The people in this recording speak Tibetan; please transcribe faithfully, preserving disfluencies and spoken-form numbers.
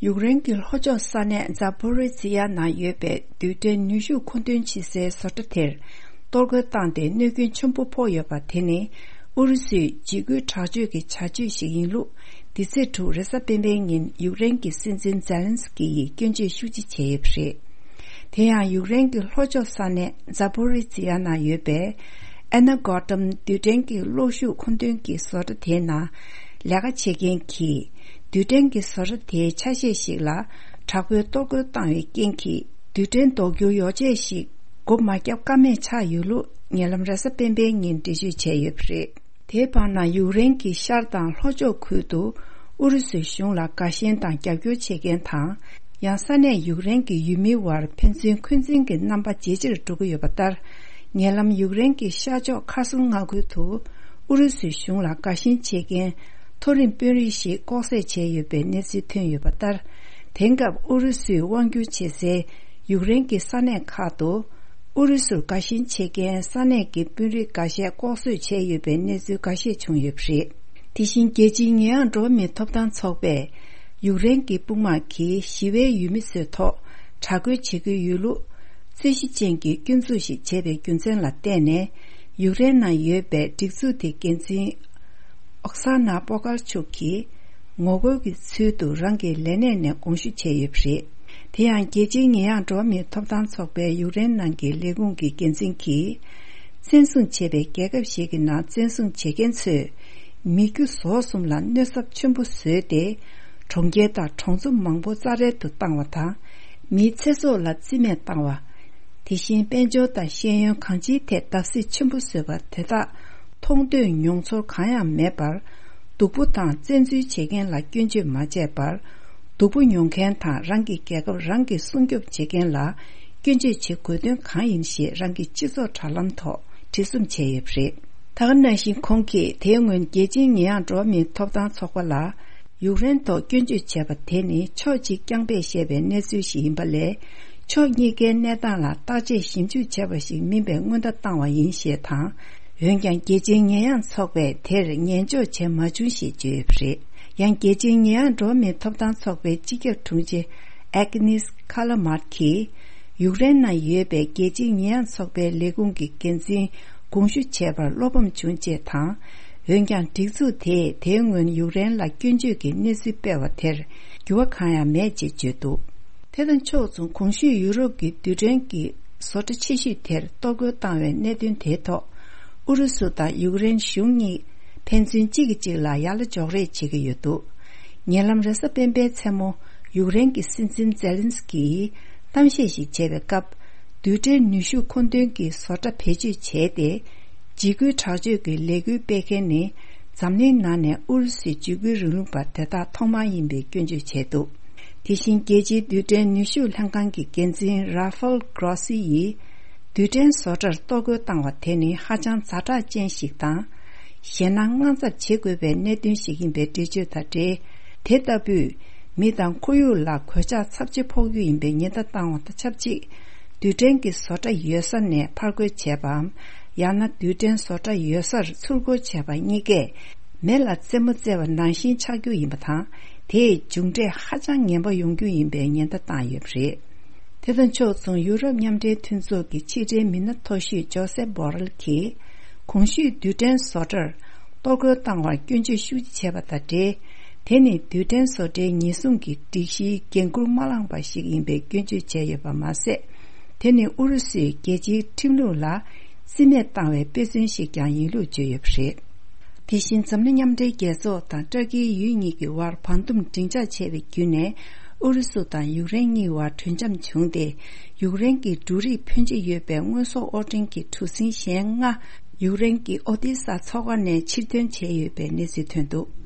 ཡུཀ་རེན་གྱི་ལྷོ་ཕྱོགས་ས་གནས་ཛཱ་པོ་རི་ཛི་ཡ་ནང་ཡོད་པའི་རྡུལ་ཕྲན་ནུས་ཤུགས་མཁོ་འདོན་བྱེད་སའི་བཟོ་གྲྭ་དེར་གཏོར་རྒོལ་བཏང་སྟེ་གནོད་སྐྱོན་ཆེན་པོ་ཕོག་ཡོད་པ་དེ་ནི། ཨུ་རུ་སུའི་འཇིགས་སྐུལ་དྲག་སྤྱོད་ཀྱི་བྱ་སྤྱོད་ཞིག་ཡིན་ལུགས། འདི་ཚེས་དྲུག་རེས་གཟའ་སྤེན་པའི་ཉིན་ཡུཀ་རེན་གྱི་སྲིད་འཛིན་ཛེ་ལན་སི་ཀི་ཡིས་སྐྱོན་བརྗོད་ཤུགས་ཆེ་བྱས་ཡོད་པ་རེད། དེ་ཡང་ཡུཀ་རེན་གྱི་ལྷོ་ཕྱོགས་ས་གནས་ཛཱ་པོ་རི་ཛི་ཡ་ནང་ཡོད་པའི་ཨེ་ན་གོ་ཏམ་རྡུལ་ཕྲན་གྱི་གློག་ཤུགས་མཁོ་འདོན་གྱི་བཟོ་གྲྭ་དེའི་ནང་ལས་ཀ་བྱེད་མཁན་གྱིས། རྡུལ་ཕྲན་གྱི་བཟོ་གྲྭ་དེའི་ཆ་ཤས་ཤིག་ལ་དྲག་པོའི་གཏོར་རྒོལ་བཏང་བའི་རྐྱེན་གྱིས། རྡུལ་ཕྲན་ཟློག་རྒྱུའི་ཡོ་བྱད་ཞིག་སྒོ་མ་བརྒྱབ་ཀ་མེད་ཆགས་ཡོད་ལུགས་ཉེ་ལམ་རེས་གཟའ་སྤེན་པའི་ཉིན་འགྲེལ་བརྗོད་བྱས་ཡོད་པ་རེད། དེའི་བར་ན་ཡུཀ་རེན་གྱི་ཤར་དང་ལྷོ་ཕྱོགས་ཁུལ་དུ་ཨུ་རུ་སུའི་གཞུང་ལ་དགའ་ཞེན་དང་རྒྱབ་སྐྱོར་བྱེད་མཁན་དང་། ཡང་ས་གནས་ཡུཀ་རེན་གྱི་ཡུལ་མིའི་བར་ཕན་ཚུན་འཁོན་འཛིན་གྱི་རྣམ་པ་ཇེ་ཆེར་འགྲོ་གི་ཡོད་པ་ལྟར། ཉེ་ལམ་ཡུཀ་རེན་གྱི་ཤར་ཕྱོགས་ཁ་སུང་མངའ་ཁུལ་དུ་ཨུ་རུ་སུའི་གཞུང་ལ་དགའ་ཞེན་བྱེད་མཁན་མཐོ་རིམ་དཔོན་རིགས་ཤིག་ལྐོག་བསད་བྱས་ཡོད་པའི་གནས་ཚུལ་ཐོན་ཡོད་པ་ལྟར། དེང་སྐབས་ཨུ་རུ་སུས་དབང་བསྒྱུར་བྱེད་སའི་ཡུཀ་རེན་གྱི་ས་གནས་ཁག་ཏུ། ཨུ་རུ་སུར་དགའ་ཞེན་བྱེད་མཁན་ས་གནས་ཀྱི་དཔོན་རིགས་འགའ་ཤས་ལྐོག་གསོད་བྱས་ཡོད་པའི་གནས་ཚུལ་འགའ་ཤས་བྱུང་ཡོད་པ་རེད། དེ་བཞིན་རྒྱལ་སྤྱིའི་ཉེས་ཡངས་འགྲོ་བ་མིའི་ཐོབ་ཐང་ཚོགས་པས་ཡུཀ་རེན་གྱི་དཔུང་དམག་གིས་ཞི་བའི་ཡུལ་མི་ཚོའི་ཐོག་དྲག་རྒོལ་བྱེད་ཀྱི་ཡོད་ལུགས། རྩོད་གཞི་ཅན་གྱི་སྐྱོན་འཛུགས་ཤིག་བྱས་པའི་རྒྱུ་མཚན་ལ་བརྟེན་ནས། ཡུཀ་རེན་ནང་ཡོད་པའི་སྒྲིག་འཛུགས་དེའི་འགན་འཛིན་ཨོག་ས་ན་པོ་ཀར་ཆུག་གིས་ངོ་རྒོལ་གྱི་ཚུལ་དུ་རང་གི་ལས་གནས་ནས་དགོངས་ཞུ་བྱས་ཡོད་པ་རེད། དེ་ཡང་རྒྱལ་སྤྱིའི་ཉེས་ཡངས་འགྲོ་བ་མིའི་ཐོབ་ཐང་ཚོགས་པའི་ཡུཀ་རེན་ནང་གི་ལས་ཁུངས་ཀྱི་འགན་འཛིན་གྱིས། བཙན་བཟུང་བྱས་པའི་རྒྱལ་ཁབ་ཞིག་གི་ནང་བཙན་བཟུང་བྱེད་མཁན་ཚོས་མི་རྒྱུ་ཟོག་གསུམ་ལ་གནོད་ཚབས་ཆེན་པོ་བཟོས་ཏེ། གྲོང་ཁྱེར་དང་གྲོང་ཚོ་མང་པོ་རྩ་བྲལ་དུ་བཏང་བ་དང་། མིའི་ཚེ་སྲོག་ལ་རྩིས་མེད་བཏང་བ། དེ་བཞིན་དཔལ་འབྱོར་དང་ཤེས་ཡོན་གང་ཅིའི་ཐད་བརྡབ་གསིག་ཆེན་པོ་བཟོས་པ་དེ་དག་མཐོང་ཐོས་མྱོང་ཚོར་གང་ཡང་མེད་པར། སྡུག་པོ་དང་བཙན་འཛུལ་བྱེད་མཁན་ལ་སྐྱོན་བརྗོད་མ་བྱས་པར། སྡུག་པོ་མྱོང་མཁན་དང་རང་གི་རྒྱལ་ཁབ་རང་གིས་སྲུང་སྐྱོབ་བྱེད་མཁན་ལ་སྐྱོན་བརྗོད་བྱེད་དགོས་དོན་གང་ཡིན་ཞེས་རང་གི་སྤྱི་ཚོགས་དྲ་ལམ་ཐོག་བྲིས་རྩོམ་བྱས་ཡོད་པ་རེད། ད་ག་ནང་བཞིན་ཁོང་གིས་དེའི་སྔོན་རྒྱལ་སྤྱིའི་ཉེས་ཡངས་འགྲོ་བ་མིའི་ཐོབ་ཐང་ཚོགས་པ་ལ། ཡུཀ་རེན་ཐོག་སྐྱོན་བརྗོད་བྱས་པ་དེ་ནི་ཕྱོགས་གཅིག་རྐྱང་པས་བཤད་པའི་གནས་ཚུལ་ཞིག་ཡིན་པ་ལས། ཕྱོགས་གཉིས་ཀའི་གནས་སྟངས་ལ་བརྟག་དཔྱད་ཞིབ་འཇུག་བྱས་པ་ཞིག་མིན་པའི་སྔོན་བརྡ་བཏང་བ་ཡིན་ཞེས་དང་། འོན་ཀྱང་རྒྱལ་སྤྱིའི་ཉེས་ཡངས་ཚོགས་པས་དེར་ཉན་འཇོག་བྱས་མ་བྱུང་ཞེས་བརྗོད་ཡོད་པ་རེད། ཡང་རྒྱལ་སྤྱིའི་ཉེས་ཡངས་འགྲོ་བ་མིའི་ཐོབ་ཐང་ཚོགས་པའི་སྤྱི་ཁྱབ་དྲུང་ཆེ་ཨེག་ནིས་ཁ་ལ་མཱར་གྱིས། ཡུཀ་རེན་ནང་ཡོད་པའི་རྒྱལ་སྤྱིའི་ཉེས་ཡངས་ཚོགས་པའི་ལས་ཁུངས་ཀྱི་འགན་འཛིན་དགོངས་ཞུ་བྱས་པར་བློ་ཕམ་བྱུང་ཅེས་དང་། འོན་ཀྱང་སྒྲིག་འཛུགས་དེས་དེའི་སྔོན་ཡུཀ་རེན་ལ་སྐྱོན་བརྗོད་ཀྱི་གནས་ཚུལ་སྤེལ་བ་དེར་འགྱུར་བ་གང་ཡང་མེད་ཅེས་བརྗོད་འདུག་དེ་དང་ཕྱོགས་མཚུངས་གོང་ཞུས་ཡུ་རོབ་ཀྱི་རྡུལ་ཕྲན་གྱི་བཟོ་གྲྭ་ཆེ་ཤོས་དེར་གཏོར་རྒོལ་བཏང་བའི་གནད་དོན་དེའི་ཐོག་ཨུ་རུ་སུ་དང་ཡུཀ་རེན་གཞུང་གཉིས་ཕན་ཚུན་གཅིག་གིས་གཅིག་ལ་ཡ་ལ་འཇོག་རེས་བྱེད་ཀྱི་ཡོད་འདུག་ཉེ་ལམ་རེས་གཟའ་སྤེན་པའི་མཚན་མོ་ཡུཀ་རེན་གྱི་སྲིད་འཛིན་ཛེ་ལན་སི་ཀི་ཡིས་གཏམ་བཤད་ཞིག་བྱས་པའི་སྐབས། རྡུལ་ཕྲན་ནུས་ཤུགས་མཁོ་འདོན་གྱི་བཟོ་གྲྭ་བེད་སྤྱོད་བྱས་ཏེ། འཇིགས་སྐུལ་དྲག་སྤྱོད་ཀྱི་ལས་འགུལ་སྤེལ་མཁན་ནི་འཛམ་གླིང་ནང་ནས་ཨུ་རུ་སུའི་འཇིགས་སྐུལ་རིང་ལུགས་པ་དེ་དག་ཐོག་མ་ཡིན་པའི་སྐྱོན་བརྗོད་བྱས་འདུག་དེ་བཞིན་རྒྱལ་སྤྱིའི་རྡུལ་ཕྲན་ནུས་ཤུགས་ལྷན་ཁང་གི་འགན་འཛིན་ར་ཧྥལ་གྷ་རོ་སི་ཡིས། རྡུལ་ཕྲན་བཟོ་གྲྭར་གཏོར་རྒོལ་བཏང་བ་དེ་ནི་ཧ་ཅང་ཛ་དྲག་ཅན་ཞིག་དང་། གཞན་ན་དངངས་འཚབ་བྱེད་དགོས་པའི་གནད་དོན་ཞིག་ཡིན་པའི་འགྲེལ་བརྗོད་དང་འབྲེལ། དེ་ལྟ་བུས་མི་དང་ཁོར་ཡུག་ལ་གོད་ཆག་ཚབས་ཆེ་ཕོག་རྒྱུ་ཡིན་པའི་ཉེན་བརྡ་བཏང་བ་དང་ཆབས་ཅིག་རྡུལ་ཕྲན་གྱི་བཟོ་གྲྭ་ཡོད་ས་ནས་ཕར་རྒོལ་བྱས་པའམ། ཡང་ན་རྡུལ་ཕྲན་བཟོ་གྲྭ་ཡོད་སར་ཚུར་རྒོལ་བྱས་པ་གཉིས་ཀས། མེ་ལ་རྩེད་མོ་རྩེ་བ་ནང་བཞིན་ཆགས་རྒྱུ་ཡིན་པ་དང་། དེས་མཇུག་འབྲས་ཧ་ཅང་ངན་པ་ཡོང་རྒྱུ་ཡིན་པའི་ཉེན་བརྡ་བཏང་ཡོད་པ་རེད། དེ་དང་ཕྱོགས་མཚུངས་ཡུ་རོབ་མཉམ་འབྲེལ་མཐུན་ཚོགས་ཀྱི་ཕྱི་འབྲེལ་མི་སྣ་མཐོ་ཤོས་ཇོ་སེབ་བྷོ་རེལ་གྱིས། གོང་ཞུས་རྡུལ་ཕྲན་བཟོ་གྲྭར་གཏོར་རྒོལ་བཏང་བར་སྐྱོན་བརྗོད་ཤུགས་ཆེ་བྱས་པ་དང་འབྲེལ། དེ་ནི་རྡུལ་ཕྲན་བཟོ་གྲྭའི་ཉེན་སྲུང་གི་སྒྲིག་གཞིའི་འགན་འཁུར་མ་བླངས་པ་ཞིག་ཡིན་པའི་སྐྱོན་བརྗོད་བྱས་ཡོད་པ་མ་ཟད། དེ་ནི་ཨུ་རུ་སུས་རྒྱལ་སྤྱིའི་ཁྲིམས་ལུགས་ལ་རྩིས་མེད་བཏང་བའི་དཔེ་མཚོན་ཞིག་ཀྱང་ཡིན་ལུགས་བརྗོད་ཡོད་པ་རེད། དེ་བཞིན་འཛམ་གླིང་མཉམ་འབྲེལ་རྒྱལ་ཚོགས་དང་ཏུར་ཀིའི་ཡུལ་གཉིས་ཀྱི་དབར་བར་འདུམ་སྒྲིང་འཇགས་བྱས་པའི་བརྒྱུད་ནས། ཨུ་རུ་སུ་དང་ཡུཀ་རེན་གཉིས་དབར་གྲོས་འཆམ་བྱུང་སྟེ། ཡུཀ་རེན་གྱི་འབྲུ་རིགས་ཕོན་ཆེ་ཡོད་པའི་དངོས་ཟོག་དབོར་འདྲེན་གྱི་གྲུ་གཟིངས་གཞན་ལྔ། ཡུཀ་རེན་གྱི་ཨོ་དེ་ས་མཚོ་ཁ་ནས་ཕྱིར་འདོན་བྱས་ཡོད་པའི་གནས་ཚུལ་ཐོན་འདུག